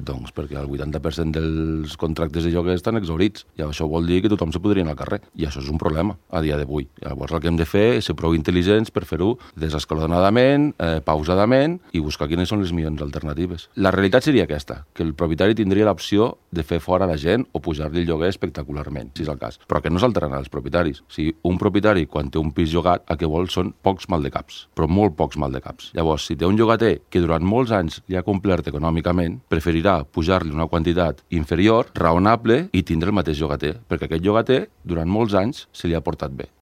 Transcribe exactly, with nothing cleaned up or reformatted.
Doncs perquè el vuitanta per cent dels contractes de lloguer estan exhaurits i això vol dir que tothom se podria anar al carrer i això és un problema a dia d'avui. Llavors el que hem de fer és ser prou intel·ligents per fer-ho desescalonadament, eh, pausadament i buscar quines són les millors alternatives. La realitat seria aquesta, que el propietari tindria l'opció de fer fora la gent o pujar-li el lloguer espectacularment, si és el cas. Però que no s'alteraran els propietaris. O sigui, un propietari, quan té un pis llogat, el que vol són pocs maldecaps, però molt pocs maldecaps. Llavors, si té un llogater que durant molts anys li ha complert econòmicament, preferirà pujar-li una quantitat inferior, raonable, i tindre el mateix llogater, perquè aquest llogater, durant molts anys, se li ha portat bé.